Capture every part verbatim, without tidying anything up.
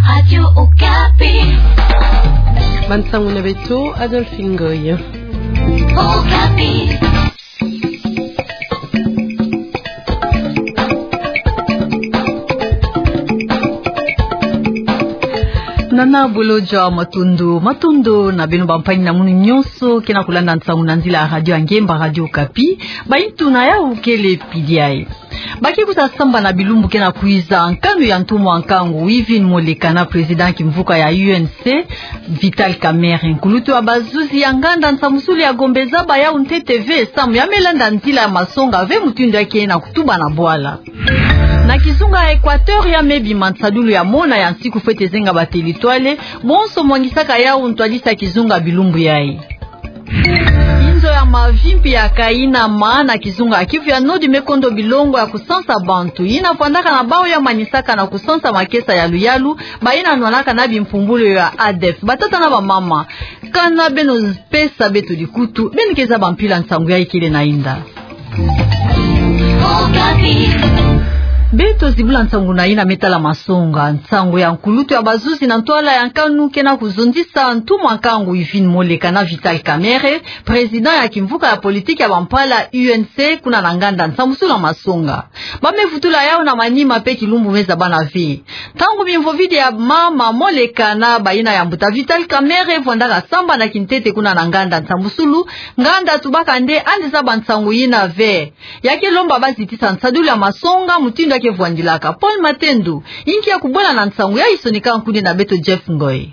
Radio Okapi. Bansangu na beto, Adolphe Ngoy. Okapi. Nana Bolodjwa, matondo, matondo na beno bampangi na munu nyonso ke na kulanda nsangu na nzila ya radio ya ngemba, Radio Okapi. Bayi ntuna yawu kele pidi yayi. Ba ke kuta sambana bilumbu ke na kwiza, nkanu ya ntumwa nkangu Wivine Moleka na président kimvuka ya U N C, Vital Kamerhe. Nkulutu ya bazuzi ya nganda nsambusulu ya Gombe zaba yawu ntete ve samu ya me landa nzila ya masonga ve mutindu ya ke na kutuba na bwala. Na kizunga ya Équateur ya me bima nsadulu ya mona ya nsiku fwete zenga ba territoire, bonso mwangisaka yawu ntwadisi ya kizunga bilumbu yayi. Inzo ya mavi mpi ya kaina ma na kizunga ya Kivu ya Nord me kondo bilongo ya kusansa bantu. Yina vwandaka na bawu ya manisaka na kusansa makesa ya luyalu, bayina nwanaka na bimpumbulu ya ADEF. Batata na bamama, kana beno pesa beto dikutu, beno ke zaba mpila nsangu yayi kele na inda. Beto zibula nsangu na yina me tala masonga. Nsangu ya nkulutu ya bazuzi na ntwala ya nkanu ke na kuzonzisa ntumwa nkangu Wivine Moleka na Vital Kamerhe, président ya kimvuka ya politique ya bampala U N C, kuna na nganda nsambusulu ya masonga. Ba me vutula yawu na manima mpe kilumbu me zabana ve. Ntangu bimvovidi ya mama Moleka na bayina ya mbuta Vital Kamerhe vwandaka sambana kintete kuna na nganda nsambusulu, nganda tubaka nde andi zaba nsangu yina ve. Ya ke lomba ba zitisa nsadulu ya masonga mutindu ya ke vwandilaka. Paul Matendo, yinki ya kubwela na nsangu yayi, sonika nkuni na beto Jeff Ngoy.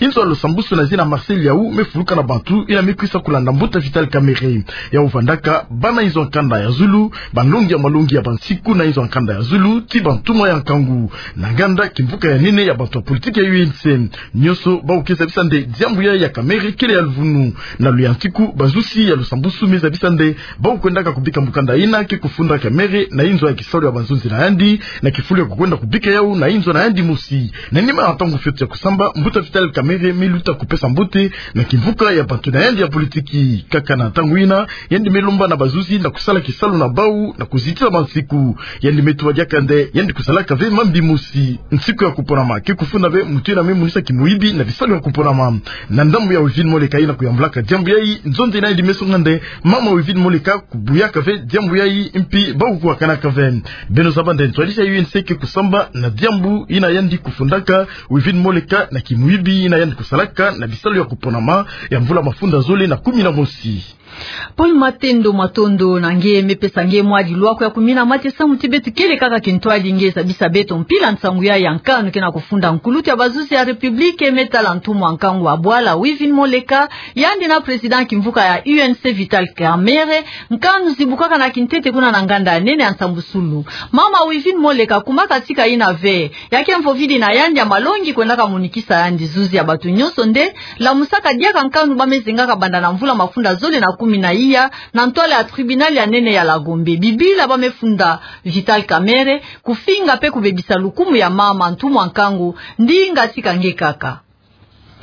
Inzo ya lusambusu na zina Marcel Yawu me fuluka na bantu, yina me kwisa kulanda mbuta Vital Kamerhe. Yawu vwandaka bana inzo ya nkanda ya zulu, banlongi ya malongi ya bansiku na inzo ya nkanda ya zulu, ti bantumwa ya nkangu. Na nganda kimvuka ya nene ya bantu ya politique ya U N C. Nyonso bawu ke zabisa nde diambu yayi ya Kamerhe kele ya luvunu. Na luyantiku, bazuzi ya lusambusu me zabisa nde bawu kwendaka kubika mukanda yina ke kufunda Kamerhe na inzo ya kisalu ya banzonzi na yandi, na kifulu ya kukwenda kubika yawu na inzo na yandi mosi. Na nima ya ntangu fioti ya kusamba, mbuta Vital Kamerhe me luta kupesa mbote na kimvuka ya bantu na yandi ya politique. Kaka na ntangu yina, yandi me lomba na bazuzi na kusala kisalu na bawu na kuzitisa bansiku. Yandi me tuba diaka nde yandi kusalaka ve mambi mosi. Nsiku ya kuponama ke kufunda ve mutu yina me monisa kimuyibi na bisalu ya kuponama. Na ndambu ya Wivine Moleka yina kuyambulaka diambu yayi, nzonzi na yandi me songa nde mama Wivine Moleka kubuyaka ve diambu yayi, mpi bawu kuwakanaka ve. Beno zaba nde ntwadisi ya U N C ke kusamba na diambu yina yandi kufundaka Wivine Moleka na kimuyibi yina yandi kusalaka na bisalu ya kuponama ya mvula mafunda zole na kumi na mosi. Paul Matendo, matondo na nge. Me pesa nge mwa dilwako ya kumina mate samu ti beto kele kaka kintwadi, nge zabisa beto mpila nsangu yayi ya nkanu ke na kufunda. Nkulutu ya bazuzi ya République me tala ntumwa nkangu wa bwala Wivine Moleka, yandi na président kimvuka ya U N C Vital Kamerhe, nkanu zibukaka na kintete kuna na nganda ya nene ya nsambusulu. Mama Wivine Moleka, kuma katika yina ve. Ya ke mvovidi na yandi ya malongi kwendaka monikisa yandi zuzi ya bantu nyonso nde lamusaka diaka nkanu ba me zengaka banda na mvula mafunda zole na kumi na iya na ntwala ya tribunal ya nene ya la Gombe. Bibila ba me funda Vital Kamerhe, kufinga mpe kubebisa lukumu ya mama ntumwa nkangu, ndinga tika nge kaka.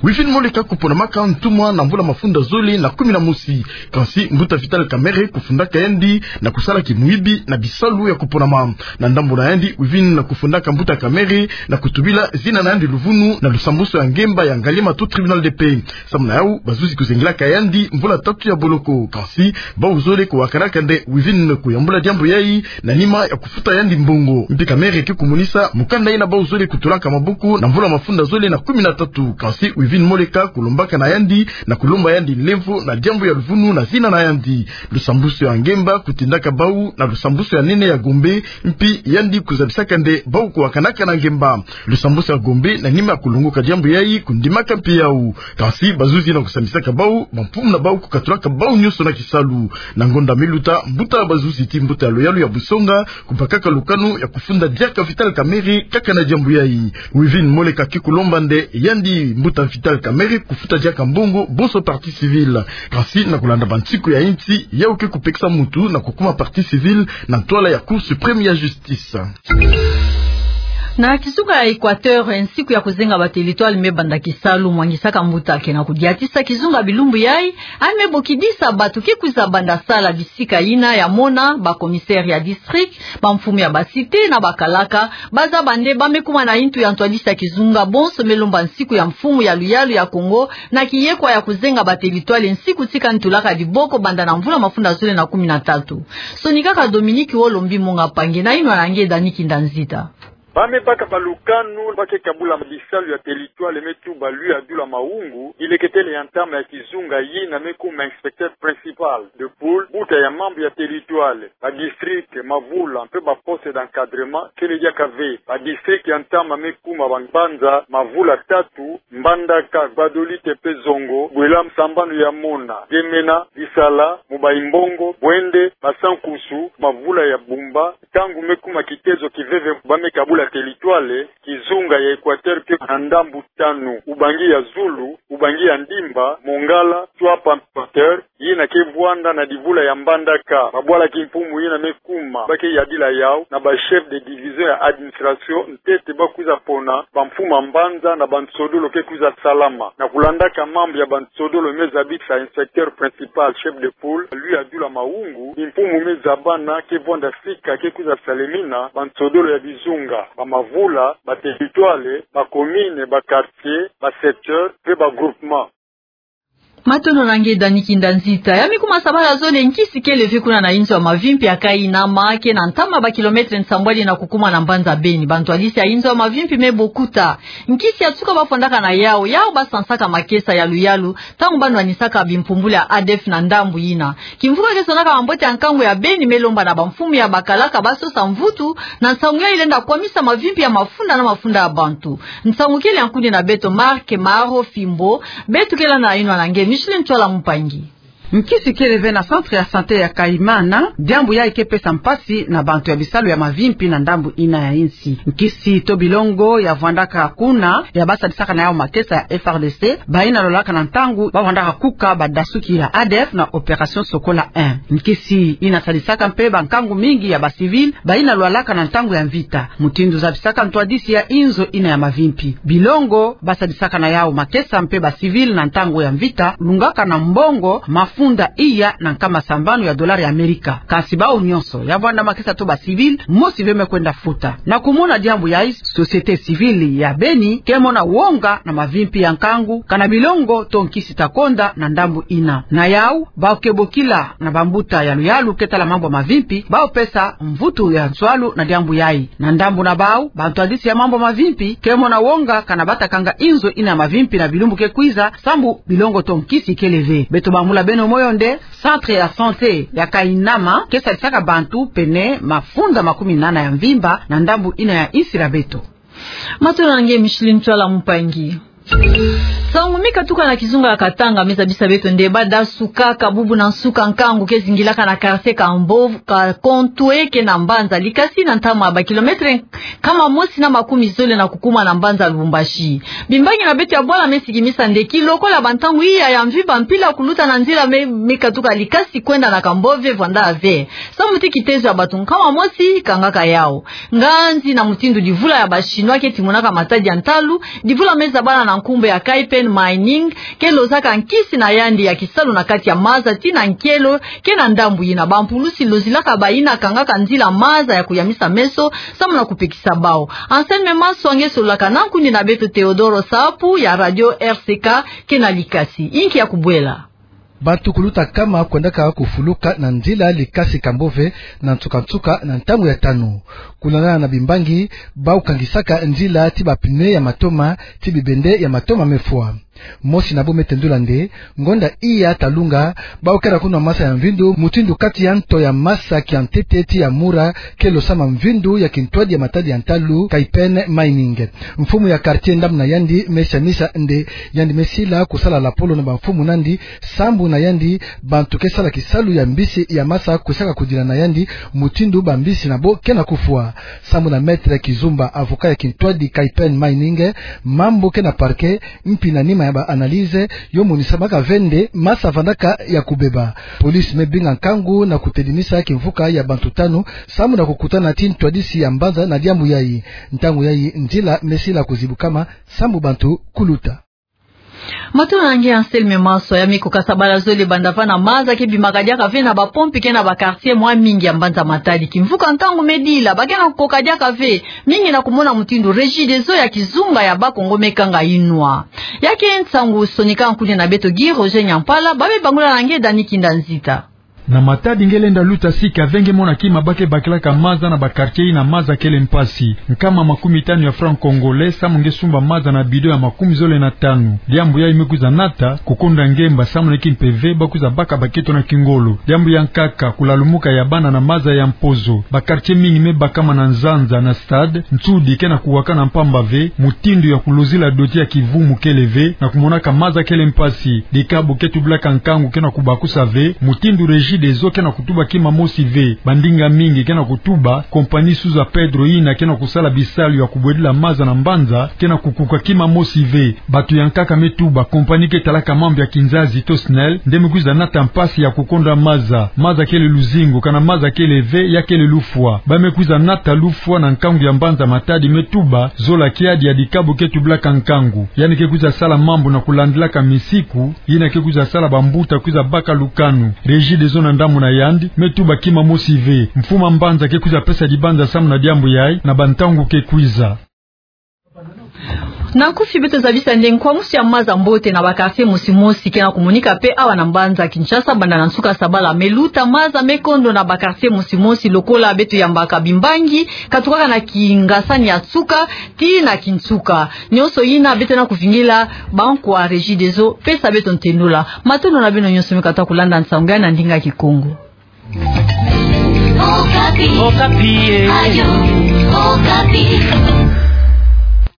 Wivine Moleka kuponamaka ntumwa na mvula mafunda zole na kumi na mosi. Kansi mbuta Vital Kamerhe kufundaka yandi na kusala kimuyibi na bisalu ya kuponama. Na ndambu na yandi, Wivine kufundaka mbuta Kamerhe na kutubila zina na yandi luvunu na lusambusu ya ngemba ya Ngaliema to tribunal de paix. Samu na yawu, bazuzi kuzengilaka yandi mvula tatu ya boloko. Kansi bawu zole kuwakanaka nde Wivine kuyambula diambu yayi na nima ya kufuta yandi mbongo. Mpi Kamerhe ke kumonisa mukanda yina bawu zole kutulaka maboko na mvula mafunda zole na kumi na tatu. Kansi Wivine Moleka kulombaka na yandi na kulomba yandi nlemvo na diambu ya luvunu na zina na yandi. Lusambusu ya ngemba kutindaka bawu na lusambusu ya nene ya Gombe, mpi yandi kuzabisaka nde bawu kuwakanaka na ngemba. Lusambusu ya Gombe, na nima ya kulongoka diambu yayi, kundimaka mpi yawu. Kansi bazuzi na kusambisaka bawu, bamfumu na bawu kukatulaka bawu nyonso na kisalu. Na ngonda me luta, mbuta ya bazuzi ti mbuta ya luyalu ya busonga kubakaka lukanu ya kufunda diaka Vital Kamerhe kaka na diambu yayi. Wivine Moleka ke kulomba nde yandi mbuta Vital Kamerhe kufuta diaka mbongo bonso partie civile. Kansi na kulanda bansiku ya insi, yawu ke kupekisa muntu na kukuma partie civile na ntwala ya Cour suprême ya justice. Na kizunga ya Equateur, nsiku ya kuzenga ba territoire me banda kisalu, mwangisaka mbuta ke na kudiatisa kizunga bilumbu yai, ame bokidisa bato ke kwiza banda sala bisika yina ya mona, ba commissaire ya district, ba mfumu ya ba cité na ba kalaka, bazaba nde ba me kuma na ntu ya ntwadisi ya kizunga bonso me lomba nsiku ya mfumu ya luyalu ya Congo, na kiyekwa ya kuzenga ba territoire nsiku tika ntulaka diboko banda na mvula mafunda zole na kumi na tatu. Sonikaka Dominique Wolombi Monga Pangi na inwa na nge Dani Kinda Nzita. Ba me baka ba lukanu ba ke kabula bisalu ya territoire me tuba Louis Adoula Mahungu, bileketele ya ntama ya kizunga yina me kuma inspecteur principal de pôle, mbuta ya mambu ya territoire, ba district, mavula, mpe ba poste d'encadrement, kele diaka ve. Ba district ya ntama me kuma ba mbanza, mavula tatu, Mbandaka, Gbadolite mpe Zongo, bwela sambanu ya mona, Gemena, Lisala, Mobayi-Mbongo, Bwende, Basa-Nkusu, mavula ya Bumba, ntangu me kuma kitezo kiveve ba me kabula territoire, kizunga ya Equateur ke na ndambu tanu, Ubangi ya zulu, Ubangi ya ndimba, Mongala, Tshuapa, Equateur, yina ke vwanda na divula ya Mbandaka, babwala kimpumu yina me kuma, ba ke yadila yau, na ba chef de division ya administration, ntete ba kwiza pona, ba mfumu ya mbanza na ba nsodolo ke kwiza salama. Na kulandaka mambu ya ba nsodolo me zabisa inspecteur principal, chef de pôle, Louis Adoula Mahungu, kimpumu me zabana ke vwanda sika ke kwiza salemina, ba nsodolo ya bizunga, ba mavula, ba territoire, ba commune, ba quartier, ba secteur, mpe ba groupement. Matondo na nge Dani Kinda Nzita. Ya me kuma sabala zole nkisi kele ve kuna na inzo ya mavimpi ya Kainama, ke na ntama ba kilomètre nsambwadi na kukuma na mbanza Beni. Ba ntwadisi ya inzo ya mavimpi me bokuta nkisi ya tuka ba fwandaka na yau, yau ba sansaka makesa ya luyalu, ntangu ba nwanisaka bimpumbulu ya ADF na ndambu yina. Kimvuka ke sonaka mambote ya nkangu ya Beni me lomba na ba mfumu ya ba kalaka ba sosa mvutu, na nsangu yai lenda kwamisa mavimpi ya mafunda na mafunda ya bantu. Nsangu kele ya nkundi na beto Marc Maro Fimbo, beto ke landa na inwa na nge Micheline Ntsoala Mpangi. Nkisi kele ve na centre ya santé ya Kaimana, diambu yai ke pesa mpasi na bantu ya bisalu ya mavimpi na ndambu yina ya insi. Nkisi to bilongo ya vwandaka kuna, ya ba sadisaka na yau makesa ya F R D C, bayina lwalaka na ntangu ba vwandaka kuka badasuki ya ADF na opération Sokola un. Nkisi yina sadisaka mpe ba nkangu mingi ya ba civil, bayina lwalaka na ntangu ya mvita. Mutindu zabisaka ntwadisi ya inzo yina ya mavimpi. Bilongo ba sadisaka na yau makesa mpe ba civil na ntangu ya mvita, lungaka na mbongo mafunda iya na nkama sambanu ya dollar ya Amerika. Kasi bau nyonso, ya vwanda makesa to ba civil, mosi ve me kwenda futa. Na kumona diambu yai, société civile ya Beni ke mona wonga na mavimpi ya nkangu, kana bilongo to nkisi ta konda na ndambu yina. Na yau, bau ke bokila na bambuta ya luyalu ke tala mambu ya mavimpi, bau pesa mvutu ya nswalu na diambu yai. Na ndambu na bau, ba ntwadisi ya mambu ya mavimpi ke mona wonga kana ba ta kanga inzo yina ya mavimpi na bilumbu ke kwiza, sambu bilongo to nkisi kele ve. Beto bambula beno moyo nde, centre ya santé ya Kainama ke sadisaka bantu pene mafunda makumi nana ya mvimba na ndambu yina ya insi ya beto. Matondo na nge Micheline Ntsoala Mpangi. Nsangu me katuka na kizunga ya Katanga me zabisa beto nde ba dasuka kabubu na nsuka nkangu ke zingilaka na quartier Kambo-, Ka-, Kontwe ke na mbanza Likasi na ntama ba kilomètre nkama mosi na makumi zole na kukuma na mbanza Lubumbashi. Bimbangi na beto ya bwala me sikimisa nde kilokola ba ntangu iya ya mvimba mpila kuluta na nzila me, me katuka Likasi kwenda na Kambove vwanda ve. Sambu ti kitezo ya bato nkama mosi kangaka yau. Nganzi na mutindu divula ya ba Chinois ke timonaka matadi ya ntalu, divula me zabana na nkumbu ya Kaipen Mining, ke lozaka nkisi na yandi ya kisalu na kati ya maza ti na nkelo, ke na ndambu yina ba mpulusi lozilaka bayina kangaka nzila maza ya kuyamisa meso, sambu na kupekisa bau. Anselme Maswa nge sololaka na nkundi na beto Teodoro Sapu ya radio R C K ke na Likasi. Inki ya kubwela. Bato kuluta nkama kwendaka kufuluka na nzila Likasi Kambove na nsuka-nsuka na ntangu ya tanu. Kulandana na bimbangi, bau kangisaka nzila ti ba pneu ya matoma, ti bibende ya matoma me fwa. Mosi na bo me tendula nde, ngonda iya ta lunga, bau kera kunwa masa ya mvindu, mutindu kati ya nto ya masa kia ntete ti ya mura, ke losama mvindu ya kintwadi ya matadi ya ntalu, Kaipen Mining. Mfumu ya quartier ndambu na yandi me siamisa nde yandi me sila kusala lapolo na ba mfumu na yandi, sambu na yandi, bantu ke sala kisalu ya mbisi ya masa kwisaka kudila na yandi, mutindu ba mbisi na bo ke na kufwa. Sambu na Maître Kizumba, avocat ya kintwadi Kaipen Mining, mambu ke na parquet, mpi na nima Na ba analyse yo monisamaka ve nde masa vandaka ya kubeba. Police me binga nkangu na kutelinisa kimvuka ya bantu tanu, samu na kukutana ti ntwadisi ya mbanza na diambu yayi. Ntangu yayi nzila me sila kuzibukama, samu bantu kuluta. Matondo na nge Anselme Maswa. Ya meko ka sabala zole banda vana maza ke bimaka diaka ve na ba pompe ke na ba quartier mwa mingi ya mbanza Matadi. Kimvuka nkangu me dila, ba ke na kukoka diaka ve, mingi na kumona mutindu Regideso ya kizunga ya Bas-Congo me kanga inwa. Ya ke nsangu sonika nkuni na beto Guy Roger Nyampala, ba me bangula na nge Dani Kinda Nzita. Na Matadi nge lenda luta sika ve nge mona kima ba ke bakilaka maza na ba quartier ina maza kele mpasi. Nkama makumi tanu ya franc congolais samu nge sumba maza na bidon ya makumi zole na tanu. Diambu yayi me kwiza nata kukonda ngemba samu na ki mpe ve ba kwiza baka baketo na kingolo. Diambu ya nkaka, kulalumuka ya bana na maza ya mpozo. Ba quartier mingi me bakama na nzanza na stade, nsudi ke na kuwakana mpamba ve, mutindu ya kulozila doti ya kivumu kele ve, na kumonaka maza kele mpasi. Dikabu ke tubilaka nkangu ke na kubakusa ve, mutindu Regideso ke na kutuba kima mosi ve. Bandinga mingi ke na kutuba, compagnie Souza Pedro ina ke na kusala bisalu ya kubwedila maza na mbanza, ke na kukuka kima mosi ve. Batu ya nkaka me tuba, compagnie ke talaka mambu ya kinzazi to SNEL, nde me kwiza nata mpasi ya kukonda maza. Maza kele luzingu, kana maza kele ve, ya kele lufwa. Ba me kwiza nata lufwa na nkangu ya mbanza Matadi me tuba, zola kiadi ya dikabu ke tubilaka nkangu. Yandi ke kwiza sala mambu na kulandilaka misiku, ina ke kwiza sala bambuta kwiza baka lukanu. Regideso na ndambu na yandi, me tuba kima mosi ve. Mfumu a mbanza ke kwiza pesa dibanza samu na diambu yayi, na bantangu ke kwiza. Na nkufi beto zabisa nde nkwamusu ya maza mbote na ba quartier mosi mosi ke na kumonika mpe awa na mbanza Kinshasa, banda na nsuka sabala me luta. Maza me kondo na ba quartier mosi mosi, lokola beto yambaka Bimbangi, katukaka na kingasani ya nsuka tii na kinsuka. Nyonso ina beto na kuvingila bankwa Regideso pesa beto ntendula. Matondo na beno nyonso me katuka kulanda nsangu yayi na ndinga Kikongo. Okapi. Okapi, eh. Radio Okapi.